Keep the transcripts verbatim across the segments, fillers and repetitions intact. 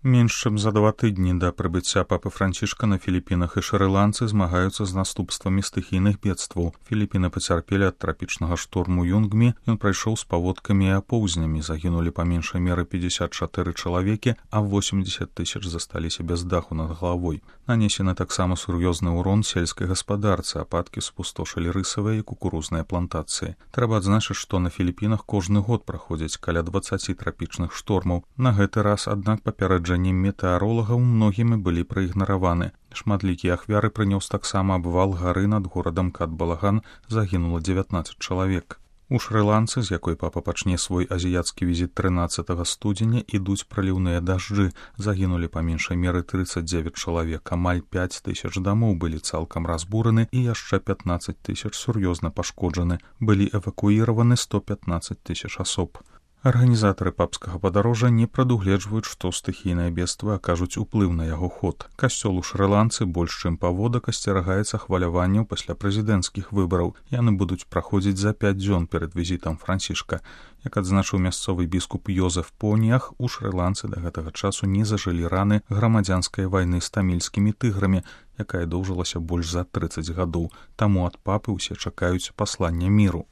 Менш чым за два тыдні да прыбыцця папы Францішка на Філіпінах і шры-ланцы змагаюцца з наступствамі стыхійных бедстваў. Філіпіны пацярпелі ад трапічнага шторму Юнгмі, ён прайшоў з паводкамі і апоўзнямі, загінулі па меншай меры пятьдесят чатыры чалавекі, а восемьдесят тысяч засталіся без даху над галавой. Нанесены таксама сур'ёзны ўрон сельскай гаспадарцы, ападкі спустошылі рысавыя і кукурузныя плантацыі. Трэба адзначыць, што на Філіпінах кожны год праходзяць каля дваццаць трапічных штормаў. На гэты раз, аднак, папярэджанні метэаролагаў многімі былі праігнараваны. Шматлікія ахвяры прынёс таксама абвал гары над горадам Кат-Балаган, загінула дзевятнаццаць чалавек. У Шры-ланцы, з якой папа пачне свой азіяцкі візіт трынаццатага студзеня, ідуць праліўныя дажджы. Загінулі па меншай меры тридцать девять чалавек, амаль пять тысяч дамоў былі цалкам разбураны і яшчэ пятнадцать тысяч сур'ёзна пашкоджаны. Былі эвакуіраваны сто пятнадцать тысяч асоб. Арганізатары папскага падарожжа не прадугледжваюць, што стыхійныя бедствы акажуць уплыў на яго ход. Касцёл у Шры-ланцы больш чым паводак асцерагаецца хваляванняў пасля прэзідэнцкіх выбараў. Яны будуць праходзіць за пяць дзён перад візітам Францішка. Як адзначыў мясцовы біскуп Йозеф Поніях, у Шры-ланцы да гэтага часу не зажылі раны грамадзянскай вайны з тамільскімі тыграмі, якая доўжылася больш за тридцаць гадоў. Таму ад папы ўсе чакаюць паслання міру.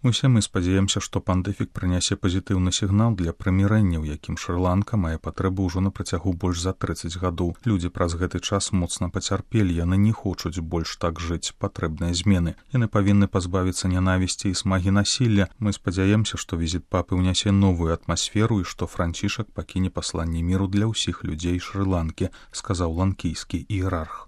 Усе мы спадзяемся, што пандэфік прынясе пазітыўны сігнал для прымірэння, у якім Шры-ланка мае патрэбу ўжо на працягу больш за тридцаць гадоў. Людзі праз гэты час моцна пацярпелі, яны не хочуць больш так жыць, патрэбныя змены. Яны павінны пазбавіцца нянавісці і смагі насілля. Мы спадзяемся, што візіт папы ўнясе новую атмасферу і што Францішак пакіне пасланне міру для ўсіх людзей Шры-ланкі, сказаў ланкійскі іерарх.